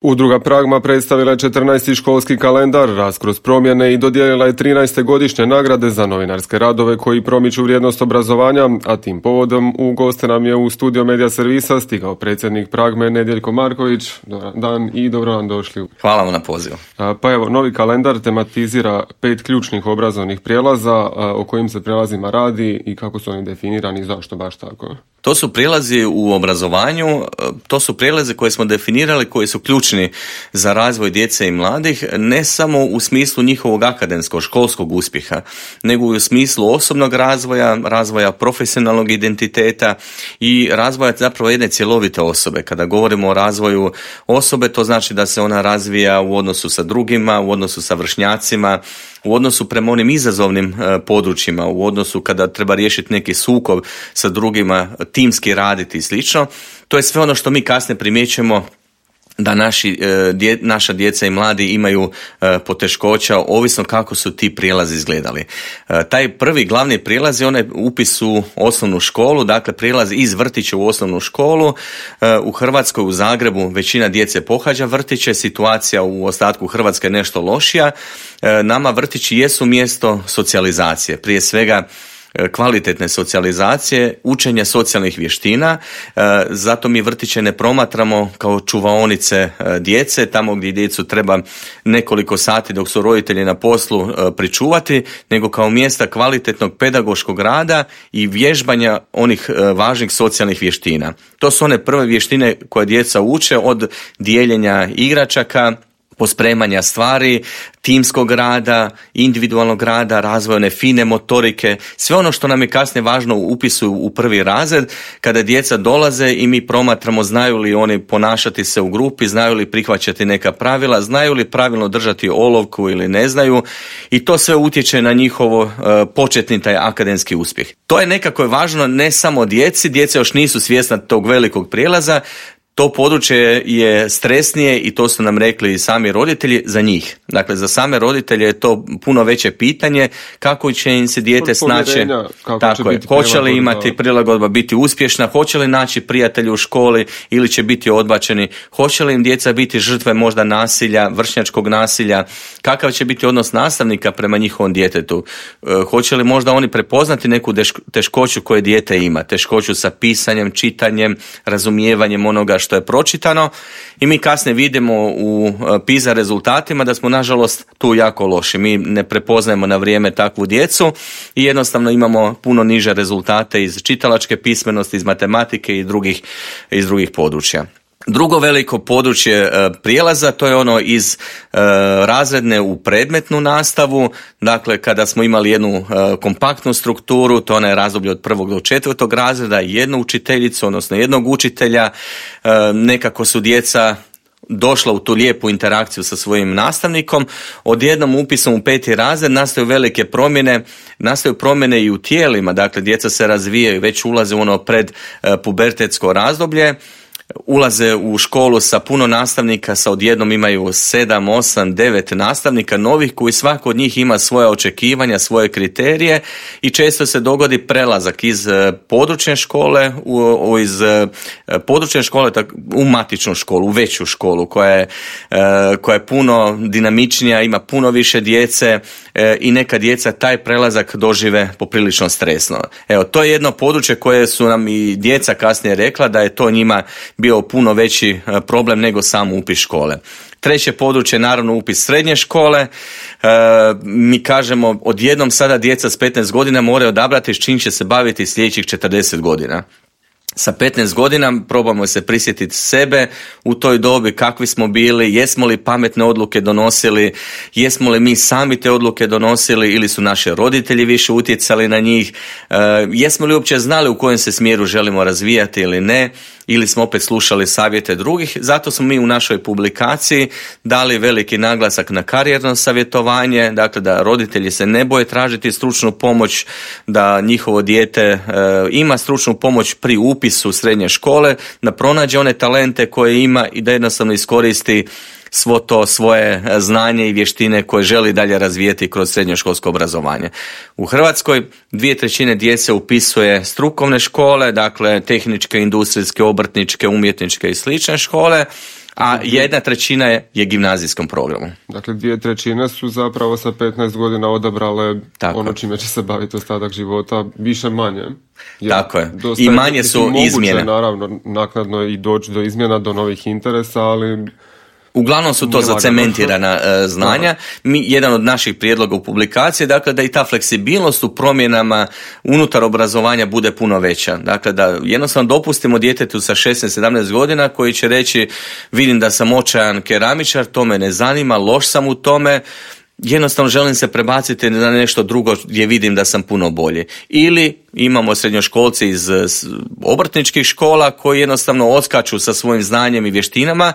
Udruga Pragma predstavila je 14. školski kalendar, raskroz promjene i dodijelila je 13. godišnje nagrade za novinarske radove koji promiču vrijednost obrazovanja, a tim povodom u goste nam je u studio Medija servisa stigao predsjednik Pragme Nedjeljko Marković. Dobar dan i dobro vam došli. Hvala vam na pozivu. Pa evo, novi kalendar tematizira 5 ključnih obrazovnih prijelaza o kojim se prijelazima radi i kako su oni definirani i zašto baš tako. To su prijelazi u obrazovanju, to su prijelaze koje smo definirali, koji su ključni za razvoj djece i mladih, ne samo u smislu njihovog akademskog, školskog uspjeha, nego i u smislu osobnog razvoja, razvoja profesionalnog identiteta i razvoja zapravo jedne cjelovite osobe. Kada govorimo o razvoju osobe, to znači da se ona razvija u odnosu sa drugima, u odnosu sa vršnjacima, u odnosu prema onim izazovnim područjima, u odnosu kada treba riješiti neki sukob sa drugima, timski raditi i slično. To je sve ono što mi kasnije primjećujemo da naša djeca i mladi imaju poteškoća, ovisno kako su ti prijelazi izgledali. Taj prvi glavni prijelaz je onaj upis u osnovnu školu, dakle prijelaz iz vrtića u osnovnu školu. U Hrvatskoj, u Zagrebu, većina djece pohađa vrtiće, situacija u ostatku Hrvatske je nešto lošija. Nama vrtići jesu mjesto socijalizacije, prije svega kvalitetne socijalizacije, učenja socijalnih vještina, zato mi vrtiće ne promatramo kao čuvaonice djece, tamo gdje djecu treba nekoliko sati dok su roditelji na poslu pričuvati, nego kao mjesta kvalitetnog pedagoškog rada i vježbanja onih važnih socijalnih vještina. To su one prve vještine koje djeca uče, od dijeljenja igračaka, pospremanja stvari, timskog rada, individualnog rada, razvojne fine motorike, sve ono što nam je kasnije važno u upisu u prvi razred, kada djeca dolaze i mi promatramo znaju li oni ponašati se u grupi, znaju li prihvaćati neka pravila, znaju li pravilno držati olovku ili ne znaju, i to sve utječe na njihovo početni taj akademski uspjeh. To je nekako važno ne samo djeci, djeca još nisu svjesna tog velikog prijelaza. To područje je stresnije i to su nam rekli i sami roditelji za njih. Dakle, za same roditelje je to puno veće pitanje kako će im se dijete snaći, hoće li imati prilagodba, biti uspješna, hoće li naći prijatelje u školi ili će biti odbačeni, hoće li im djeca biti žrtve možda nasilja, vršnjačkog nasilja, kakav će biti odnos nastavnika prema njihovom djetetu, hoće li možda oni prepoznati neku teškoću koje dijete ima, teškoću sa pisanjem, čitanjem, razumijevanjem onoga što je pročitano, i mi kasnije vidimo u PISA rezultatima da smo nažalost tu jako loši. Mi ne prepoznajemo na vrijeme takvu djecu i jednostavno imamo puno niže rezultate iz čitalačke pismenosti, iz matematike i iz drugih područja. Drugo veliko područje prijelaza, to je ono iz razredne u predmetnu nastavu, dakle kada smo imali jednu kompaktnu strukturu, to je razdoblje od 1. do 4. razreda, jednu učiteljicu, odnosno jednog učitelja, nekako su djeca došla u tu lijepu interakciju sa svojim nastavnikom. Odjednom upisom u 5. razred nastaju velike promjene, nastaju promjene i u tijelima, dakle djeca se razvijaju, već ulaze u ono predpubertetsko razdoblje, ulaze u školu sa puno nastavnika, sa odjednom imaju 7, 8, 9 nastavnika novih koji svako od njih ima svoje očekivanja, svoje kriterije, i često se dogodi prelazak iz područne škole u matičnu školu, u veću školu koja je puno dinamičnija, ima puno više djece i neka djeca taj prelazak dožive poprilično stresno. Evo, to je jedno područje koje su nam i djeca kasnije rekla da je to njima bio puno veći problem nego sam upis škole. Treće područje je naravno upis srednje škole. Mi kažemo odjednom sada djeca s 15 godina moraju odabrati s čim će se baviti sljedećih 40 godina. Sa 15 godina probamo se prisjetiti sebe u toj dobi, kakvi smo bili, jesmo li pametne odluke donosili, jesmo li mi sami te odluke donosili ili su naši roditelji više utjecali na njih, jesmo li uopće znali u kojem se smjeru želimo razvijati ili ne, ili smo opet slušali savjete drugih. Zato smo mi u našoj publikaciji dali veliki naglasak na karijerno savjetovanje, dakle da roditelji se ne boje tražiti stručnu pomoć, da njihovo dijete ima stručnu pomoć pri upisu srednje škole, da pronađe one talente koje ima i da jednostavno iskoristi svo to svoje znanje i vještine koje želi dalje razvijeti kroz srednjoškolsko obrazovanje. U Hrvatskoj 2/3 djece upisuje strukovne škole, dakle tehničke, industrijske, obrtničke, umjetničke i slične škole, a 1/3 je gimnazijskom programu. Dakle, 2/3 su zapravo sa 15 godina odabrale ono čime će se baviti ostatak života, više manje. Tako je. I manje su izmjene. Naravno, naknadno i doći do izmjena, do novih interesa, ali... Uglavnom su to zacementirana znanja. Jedan od naših prijedloga u publikaciji je dakle, da i ta fleksibilnost u promjenama unutar obrazovanja bude puno veća. Dakle, da jednostavno dopustimo djetetu sa 16-17 godina koji će reći vidim da sam očajan keramičar, to me ne zanima, loš sam u tome, jednostavno želim se prebaciti na nešto drugo gdje vidim da sam puno bolji. Ili imamo srednjoškolci iz obrtničkih škola koji jednostavno odskaču sa svojim znanjem i vještinama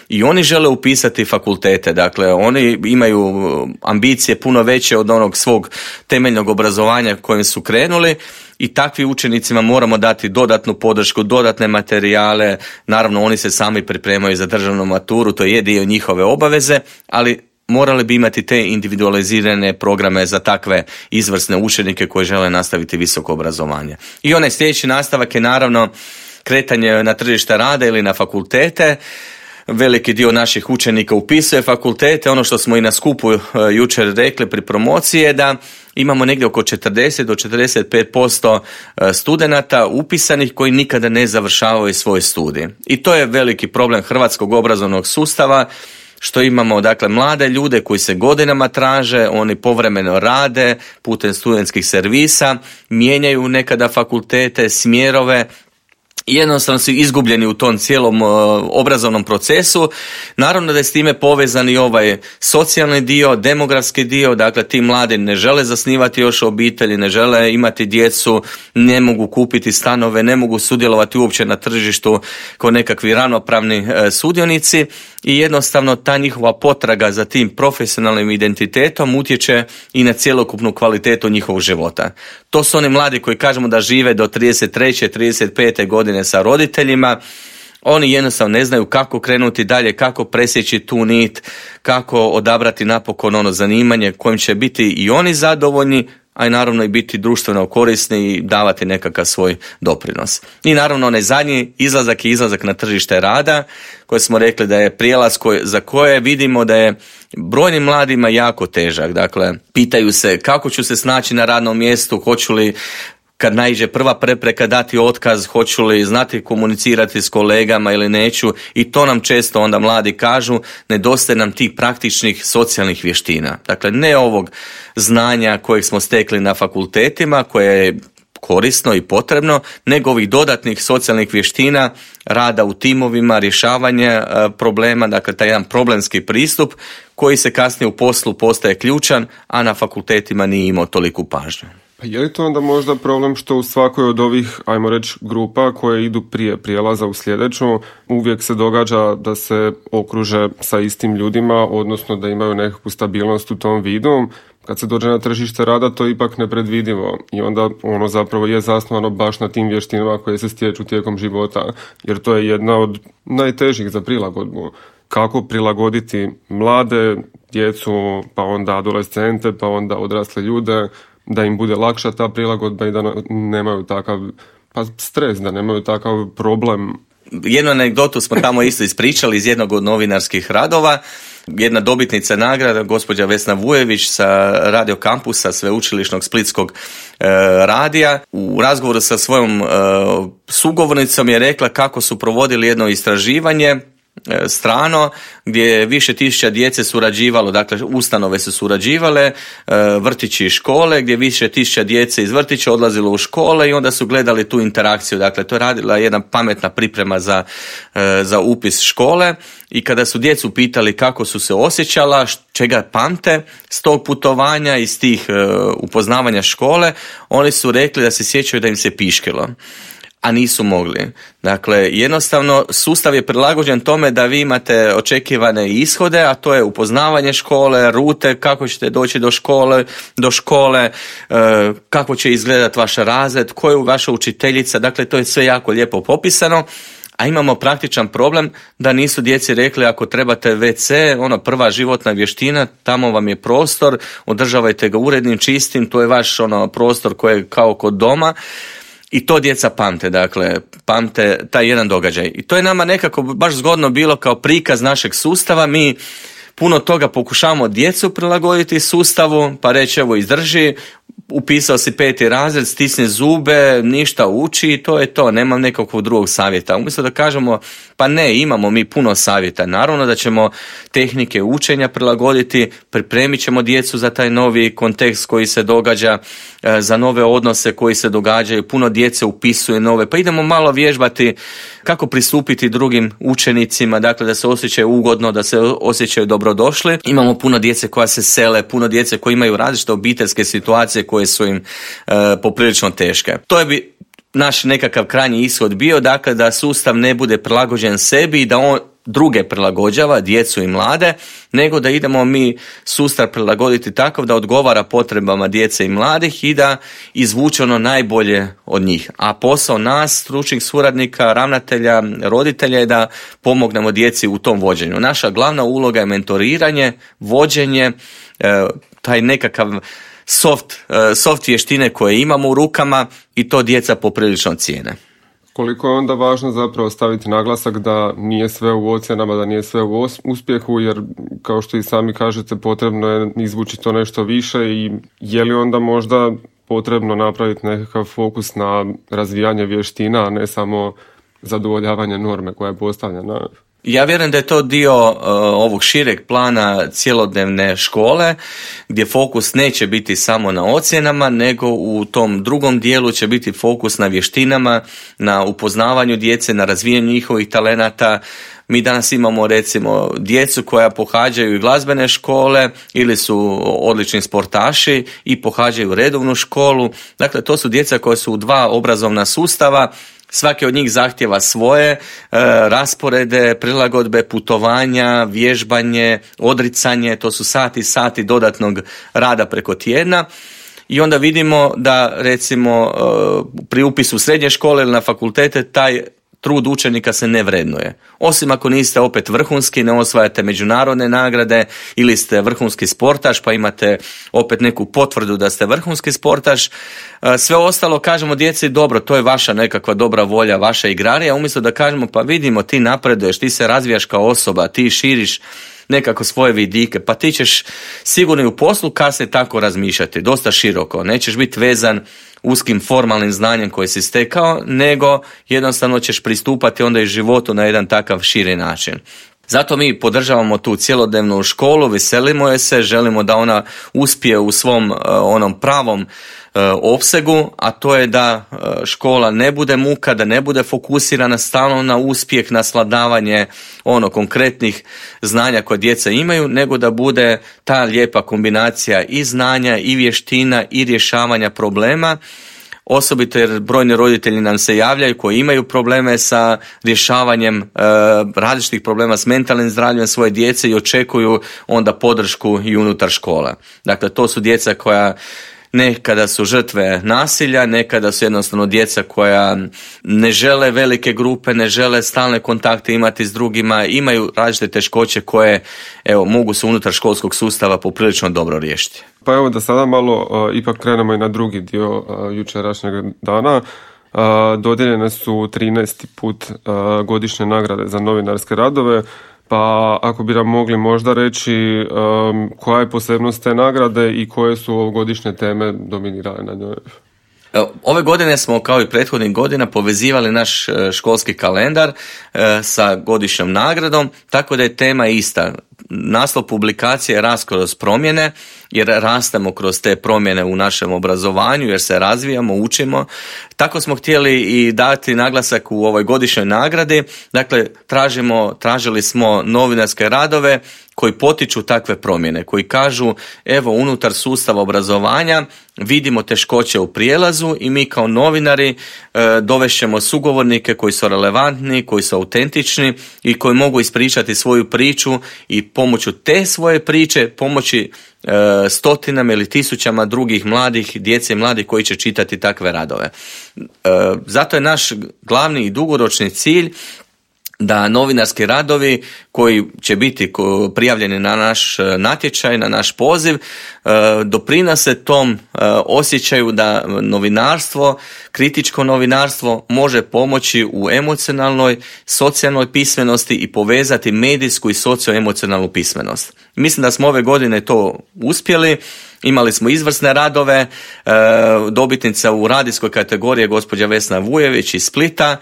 i oni žele upisati fakultete. Dakle, oni imaju ambicije puno veće od onog svog temeljnog obrazovanja kojim su krenuli i takvim učenicima moramo dati dodatnu podršku, dodatne materijale. Naravno, oni se sami pripremaju za državnu maturu, to je dio njihove obaveze, ali morali bi imati te individualizirane programe za takve izvrsne učenike koji žele nastaviti visoko obrazovanje. I onaj sljedeći nastavak je naravno kretanje na tržište rada ili na fakultete. Veliki dio naših učenika upisuje fakultete. Ono što smo i na skupu jučer rekli pri promociji je da imamo negdje oko 40 do 45% studenata upisanih koji nikada ne završavaju svoj studij. I to je veliki problem hrvatskog obrazovnog sustava, što imamo dakle mlade ljude koji se godinama traže, oni povremeno rade putem studentskih servisa, mijenjaju nekada fakultete, smjerove, jednostavno su izgubljeni u tom cijelom obrazovnom procesu. Naravno da je s time povezan i ovaj socijalni dio, demografski dio, dakle ti mladi ne žele zasnivati još obitelji, ne žele imati djecu, ne mogu kupiti stanove, ne mogu sudjelovati uopće na tržištu kao nekakvi ravnopravni sudionici i jednostavno ta njihova potraga za tim profesionalnim identitetom utječe i na cjelokupnu kvalitetu njihovog života. To su oni mladi koji kažemo da žive do 33. 35. godine sa roditeljima. Oni jednostavno ne znaju kako krenuti dalje, kako presjeći tu nit, kako odabrati napokon ono zanimanje kojim će biti i oni zadovoljni, a i naravno i biti društveno korisni i davati nekakav svoj doprinos. I naravno onaj zadnji izlazak je izlazak na tržište rada, koji smo rekli da je prijelaz za koje vidimo da je brojnim mladima jako težak. Dakle, pitaju se kako ću se snaći na radnom mjestu, hoću li kad naiđe prva prepreka dati otkaz, hoću li znati komunicirati s kolegama ili neću, i to nam često onda mladi kažu, nedostaje nam tih praktičnih socijalnih vještina. Dakle, ne ovog znanja kojeg smo stekli na fakultetima, koje je korisno i potrebno, nego ovih dodatnih socijalnih vještina, rada u timovima, rješavanje problema, dakle taj jedan problemski pristup koji se kasnije u poslu postaje ključan, a na fakultetima nije imao toliku pažnju. Pa je li to onda možda problem što u svakoj od ovih, ajmo reći, grupa koje idu prije prijelaza u sljedeću, uvijek se događa da se okruže sa istim ljudima, odnosno da imaju nekakvu stabilnost u tom vidu? Kad se dođe na tržište rada, to je ipak nepredvidivo i onda ono zapravo je zasnovano baš na tim vještinama koje se stječu tijekom života, jer to je jedna od najtežih za prilagodbu. Kako prilagoditi mlade, djecu, pa onda adolescente, pa onda odrasle ljude, da im bude lakša ta prilagodba i da nemaju takav stres, da nemaju takav problem. Jednu anegdotu smo tamo isto ispričali iz jednog od novinarskih radova. Jedna dobitnica nagrada, gospođa Vesna Vujević sa Radio Kampusa Sveučilišnog splitskog radija, u razgovoru sa svojom sugovornicom je rekla kako su provodili jedno istraživanje strano, gdje je više tisuća djece surađivalo, dakle ustanove su surađivale, vrtići i škole, gdje više tisuća djece iz vrtića odlazilo u škole i onda su gledali tu interakciju. Dakle, to je radila jedna pametna priprema za upis škole i kada su djecu pitali kako su se osjećala, čega pamte s tog putovanja, iz tih upoznavanja škole, oni su rekli da se sjećaju da im se piškilo, a nisu mogli. Dakle, jednostavno sustav je prilagođen tome da vi imate očekivane ishode, a to je upoznavanje škole, rute, kako ćete doći do škole, kako će izgledati vaš razred, ko je vaša učiteljica, dakle to je sve jako lijepo popisano, a imamo praktičan problem da nisu djeci rekli ako trebate WC, prva životna vještina, tamo vam je prostor, održavajte ga urednim, čistim, to je vaš prostor koji je kao kod doma. I to djeca pamte, dakle, pamte taj jedan događaj. I to je nama nekako baš zgodno bilo kao prikaz našeg sustava. Mi puno toga pokušavamo djecu prilagoditi sustavu, pa reći evo izdrži, upisao si 5. razred, stisni zube, ništa uči i to je to, nemam nekakvog drugog savjeta. Umjesto da kažemo, pa ne, imamo mi puno savjeta. Naravno da ćemo tehnike učenja prilagoditi, pripremit ćemo djecu za taj novi kontekst koji se događa, za nove odnose koji se događaju, puno djece upisuje nove, pa idemo malo vježbati kako pristupiti drugim učenicima, dakle da se osjećaju ugodno, da se osjećaju dobrodošli. Imamo puno djece koja se sele, puno djece koji imaju različite obiteljske situacije koje su im poprilično teške. To je naš nekakav krajnji ishod bio, dakle da sustav ne bude prilagođen sebi i da on druge prilagođava, djecu i mlade, nego da idemo mi sustav prilagoditi takav da odgovara potrebama djece i mladih i da izvuče ono najbolje od njih. A posao nas, stručnih suradnika, ravnatelja, roditelja je da pomognemo djeci u tom vođenju. Naša glavna uloga je mentoriranje, vođenje, taj nekakav soft vještine koje imamo u rukama i to djeca poprilično cijene. Koliko je onda važno zapravo staviti naglasak da nije sve u ocjenama, da nije sve u uspjehu, jer kao što i sami kažete potrebno je izvući to nešto više i je li onda možda potrebno napraviti nekakav fokus na razvijanje vještina, a ne samo zadovoljavanje norme koja je postavljena? Ja vjerujem da je to dio ovog šireg plana cjelodnevne škole, gdje fokus neće biti samo na ocjenama, nego u tom drugom dijelu će biti fokus na vještinama, na upoznavanju djece, na razvijanju njihovih talenata. Mi danas imamo recimo djecu koja pohađaju i glazbene škole ili su odlični sportaši i pohađaju redovnu školu. Dakle, to su djeca koja su u 2 obrazovna sustava. Svaki od njih zahtjeva svoje rasporede, prilagodbe, putovanja, vježbanje, odricanje, to su sati dodatnog rada preko tjedna. I onda vidimo da recimo pri upisu u srednje škole ili na fakultete taj trud učenika se ne vrednuje. Osim ako niste opet vrhunski, ne osvajate međunarodne nagrade ili ste vrhunski sportaš pa imate opet neku potvrdu da ste vrhunski sportaš. Sve ostalo kažemo djeci dobro, to je vaša nekakva dobra volja, vaša igrarija, umjesto da kažemo pa vidimo ti napreduješ, ti se razvijaš kao osoba, ti širiš nekako svoje vidike, pa ti ćeš sigurno i u poslu kasnije tako razmišljati, dosta široko, nećeš biti vezan uskim formalnim znanjem koje si stekao, nego jednostavno ćeš pristupati onda i životu na jedan takav širi način. Zato mi podržavamo tu cjelodnevnu školu, veselimo je se, želimo da ona uspije u svom onom pravom opsegu, a to je da škola ne bude muka, da ne bude fokusirana stalno na uspjeh, na svladavanje konkretnih znanja koje djeca imaju, nego da bude ta lijepa kombinacija i znanja i vještina i rješavanja problema. Osobito jer brojni roditelji nam se javljaju koji imaju probleme sa rješavanjem različitih problema s mentalnim zdravljem svoje djece i očekuju onda podršku i unutar škola. Dakle, to su djeca koja nekada su žrtve nasilja, nekada su jednostavno djeca koja ne žele velike grupe, ne žele stalne kontakte imati s drugima, imaju različite teškoće koje mogu se unutar školskog sustava poprilično dobro riješiti. Pa evo da sada malo ipak krenemo i na drugi dio jučerašnjeg dana. Dodijeljene su 13. put godišnje nagrade za novinarske radove. Pa ako bi nam mogli možda reći koja je posebnost te nagrade i koje su ovogodišnje teme dominirale na njoj? Ove godine smo kao i prethodnih godina povezivali naš školski kalendar sa godišnjom nagradom, tako da je tema ista. Naslov publikacije je Rast kroz promjene, jer rastemo kroz te promjene u našem obrazovanju, jer se razvijamo, učimo. Tako smo htjeli i dati naglasak u ovoj godišnjoj nagradi. Dakle, tražili smo novinarske radove koji potiču takve promjene, koji kažu evo unutar sustava obrazovanja vidimo teškoće u prijelazu i mi kao novinari dovešćemo sugovornike koji su relevantni, koji su autentični i koji mogu ispričati svoju priču i pomoću te svoje priče pomoći stotinama ili tisućama drugih mladih, djece i mladih koji će čitati takve radove. Zato je naš glavni i dugoročni cilj da novinarski radovi koji će biti prijavljeni na naš natječaj, na naš poziv, doprinose tom osjećaju da novinarstvo, kritičko novinarstvo može pomoći u emocionalnoj, socijalnoj pismenosti i povezati medijsku i socioemocionalnu pismenost. Mislim da smo ove godine to uspjeli. Imali smo izvrsne radove, dobitnica u radijskoj kategoriji je gospođa Vesna Vujević iz Splita,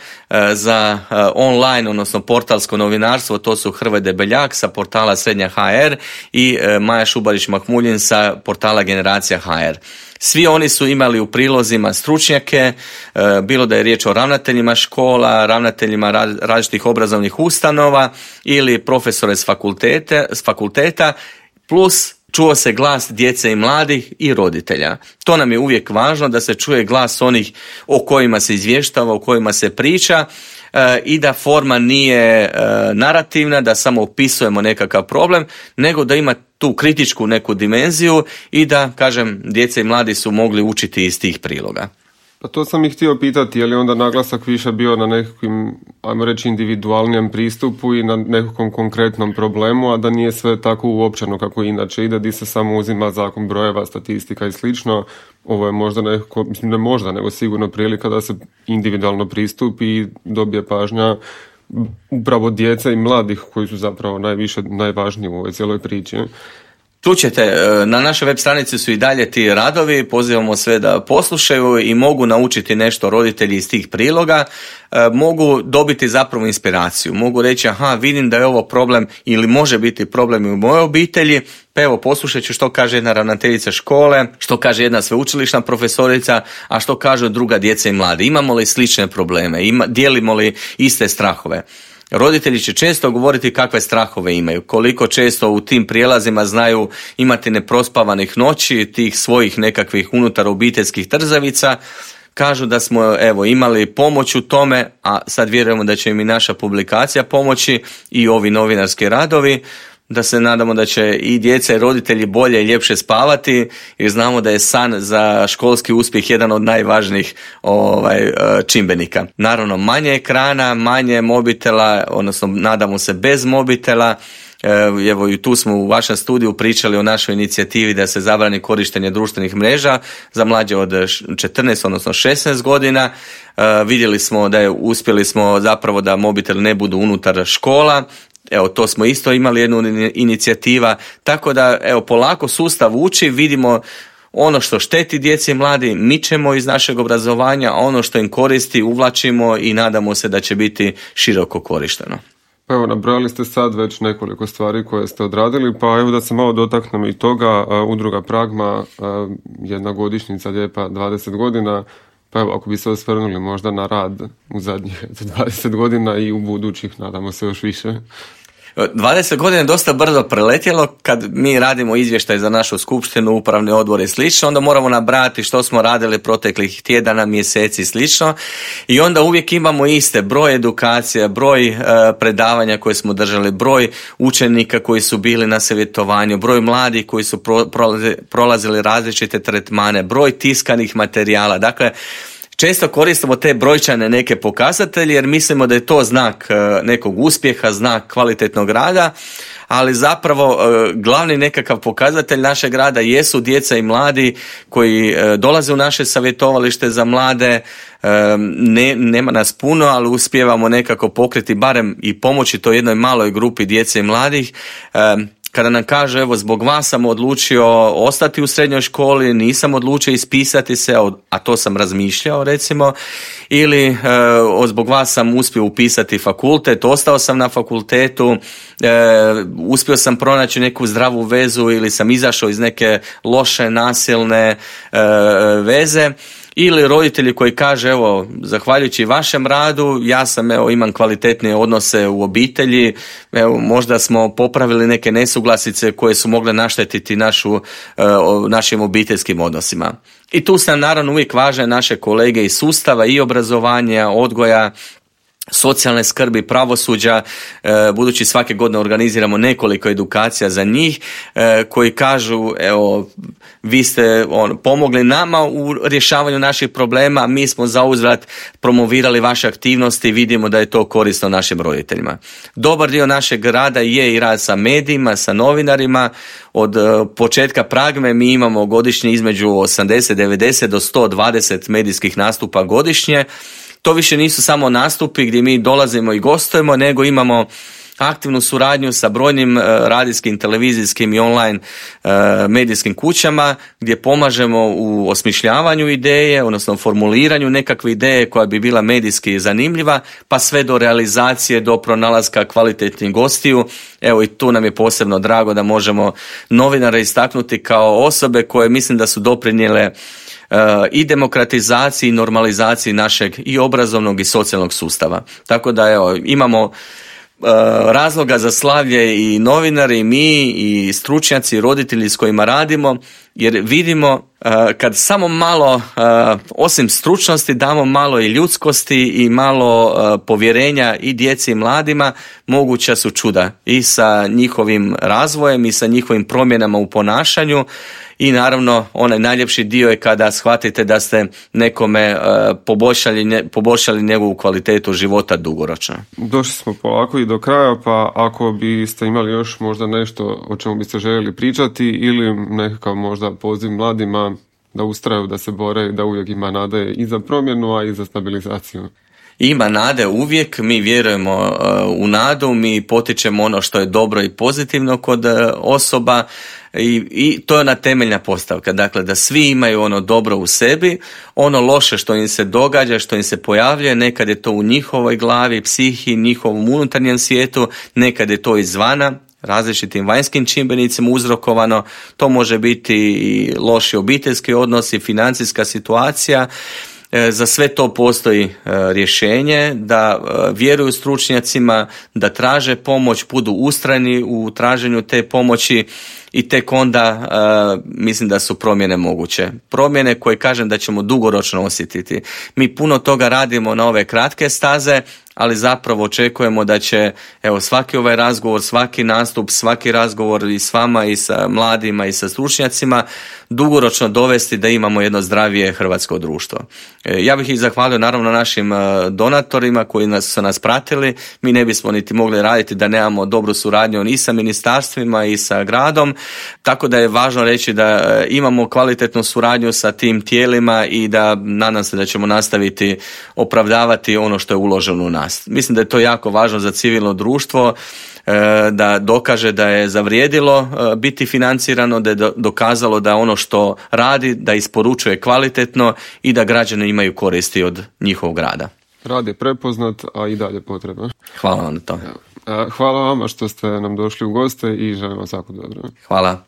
za online, odnosno portalsko novinarstvo, to su Hrvoje Debeljak sa portala Srednja HR i Maja Šubarić-Mahmuljin sa portala Generacija HR. Svi oni su imali u prilozima stručnjake, bilo da je riječ o ravnateljima škola, ravnateljima različitih obrazovnih ustanova ili profesore s fakulteta, plus čuo se glas djece i mladih i roditelja. To nam je uvijek važno, da se čuje glas onih o kojima se izvještava, o kojima se priča, i da forma nije narativna, da samo opisujemo nekakav problem, nego da ima tu kritičku neku dimenziju i da, kažem, djeca i mladi su mogli učiti iz tih priloga. Pa to sam ih htio pitati, je li onda naglasak više bio na nekakvim, ajmo reći, individualnijem pristupu i na nekakvom konkretnom problemu, a da nije sve tako uopćeno kako inače ide, di se samo uzima zakon brojeva, statistika i slično. Ovo je možda nekako, mislim ne možda, nego sigurno prilika da se individualno pristupi i dobije pažnja upravo djece i mladih koji su zapravo najvažniji u ovoj cijeloj priči. Čućete, na našoj web stranici su i dalje ti radovi, pozivamo sve da poslušaju i mogu naučiti nešto roditelji iz tih priloga, mogu dobiti zapravo inspiraciju, mogu reći vidim da je ovo problem ili može biti problem i u mojoj obitelji, pa evo poslušat ću što kaže jedna ravnateljica škole, što kaže jedna sveučilišna profesorica, a što kažu druga djeca i mladi. Imamo li slične probleme, dijelimo li iste strahove? Roditelji će često govoriti kakve strahove imaju, koliko često u tim prijelazima znaju imati neprospavanih noći, tih svojih nekakvih unutar obiteljskih trzavica. Kažu da smo imali pomoć u tome, a sad vjerujemo da će im i naša publikacija pomoći i ovi novinarski radovi, da se nadamo da će i djeca i roditelji bolje i ljepše spavati, jer znamo da je san za školski uspjeh jedan od najvažnijih čimbenika. Naravno, manje ekrana, manje mobitela, odnosno nadamo se bez mobitela. Evo i tu smo u vašem studiju pričali o našoj inicijativi da se zabrani korištenje društvenih mreža za mlađe od 14, odnosno 16 godina. Vidjeli smo da uspjeli smo zapravo da mobitel ne budu unutar škola. Evo, to smo isto imali jednu inicijativa, tako da polako sustav uči, vidimo ono što šteti djeci i mladi, mičemo iz našeg obrazovanja, a ono što im koristi uvlačimo i nadamo se da će biti široko korišteno. Pa evo, nabrojali ste sad već nekoliko stvari koje ste odradili, pa evo da se malo dotaknem i toga. Udruga Pragma, jedna godišnjica lijepa 20 godina, pa evo, ako bi se osvrnuli možda na rad u zadnjih 20 godina i u budućih, nadamo se još više. 20 godina je dosta brzo preletjelo. Kad mi radimo izvještaj za našu skupštinu, upravni odbor i slično, onda moramo nabrati što smo radili proteklih tjedana, mjeseci i slično. I onda uvijek imamo iste broj edukacija, broj predavanja koje smo držali, broj učenika koji su bili na savjetovanju, broj mladih koji su prolazili različite tretmane, broj tiskanih materijala. Dakle, često koristimo te brojčane neke pokazatelje jer mislimo da je to znak nekog uspjeha, znak kvalitetnog rada, ali zapravo glavni nekakav pokazatelj našeg rada jesu djeca i mladi koji dolaze u naše savjetovalište za mlade. Nema nas puno, ali uspijevamo nekako pokriti barem i pomoći to jednoj maloj grupi djece i mladih. Kada nam kaže, evo, zbog vas sam odlučio ostati u srednjoj školi, nisam odlučio ispisati se, a to sam razmišljao, recimo, ili zbog vas sam uspio upisati fakultet, ostao sam na fakultetu, uspio sam pronaći neku zdravu vezu ili sam izašao iz neke loše, nasilne veze. Ili roditelji koji kaže, evo, zahvaljujući vašem radu, ja sam, imam kvalitetnije odnose u obitelji, možda smo popravili neke nesuglasice koje su mogle naštetiti našim obiteljskim odnosima. I tu sam naravno uvijek važne naše kolege iz sustava i obrazovanja, odgoja, socijalne skrbi, pravosuđa, budući svake godine organiziramo nekoliko edukacija za njih, koji kažu, evo, vi ste pomogli nama u rješavanju naših problema, mi smo zauzvrat promovirali vaše aktivnosti i vidimo da je to korisno našim roditeljima. Dobar dio našeg rada je i rad sa medijima, sa novinarima. Od početka Pragme mi imamo godišnje između 80, 90 do 120 medijskih nastupa godišnje. To više nisu samo nastupi gdje mi dolazimo i gostujemo, nego imamo aktivnu suradnju sa brojnim radijskim, televizijskim i online medijskim kućama gdje pomažemo u osmišljavanju ideje, odnosno formuliranju nekakve ideje koja bi bila medijski zanimljiva, pa sve do realizacije, do pronalaska kvalitetnih gostiju. Evo i tu nam je posebno drago da možemo novinare istaknuti kao osobe koje mislim da su doprinijele i demokratizaciji i normalizaciji našeg i obrazovnog i socijalnog sustava. Tako da evo, imamo razloga za slavlje i novinari, i mi, i stručnjaci, i roditelji s kojima radimo, jer vidimo kad samo malo, osim stručnosti, damo malo i ljudskosti i malo povjerenja i djeci i mladima, moguća su čuda i sa njihovim razvojem i sa njihovim promjenama u ponašanju. I naravno, onaj najljepši dio je kada shvatite da ste nekome poboljšali njegovu kvalitetu života dugoročno. Došli smo polako i do kraja, pa ako biste imali još možda nešto o čemu biste željeli pričati ili nekakav možda poziv mladima da ustraju, da se bore, da uvijek ima nade i za promjenu, a i za stabilizaciju. Ima nade uvijek, mi vjerujemo u nadu, mi potičemo ono što je dobro i pozitivno kod osoba i to je ona temeljna postavka, dakle da svi imaju ono dobro u sebi, ono loše što im se događa, što im se pojavljuje, nekad je to u njihovoj glavi, psihi, njihovom unutarnjem svijetu, nekad je to izvana, različitim vanjskim čimbenicima uzrokovano, to može biti i loši obiteljski odnosi, financijska situacija. Za sve to postoji rješenje, da vjeruju stručnjacima, da traže pomoć, budu ustrajni u traženju te pomoći i tek onda mislim da su promjene moguće. Promjene koje kažem da ćemo dugoročno osjetiti. Mi puno toga radimo na ove kratke staze, ali zapravo očekujemo da će svaki ovaj razgovor, svaki nastup, svaki razgovor i s vama i sa mladima i sa stručnjacima dugoročno dovesti da imamo jedno zdravije hrvatsko društvo. Ja bih ih zahvalio naravno našim donatorima koji su nas pratili. Mi ne bismo niti mogli raditi da nemamo dobru suradnju i sa ministarstvima i sa gradom, tako da je važno reći da imamo kvalitetnu suradnju sa tim tijelima i da nadam se da ćemo nastaviti opravdavati ono što je uloženo u nas. Mislim da je to jako važno za civilno društvo, da dokaže da je zavrijedilo biti financirano, da je dokazalo da ono što radi, da isporučuje kvalitetno i da građani imaju koristi od njihovog rada. Rad je prepoznat, a i dalje potreban. Hvala vam na to. Hvala vama što ste nam došli u goste i želim vam svako dobro. Hvala.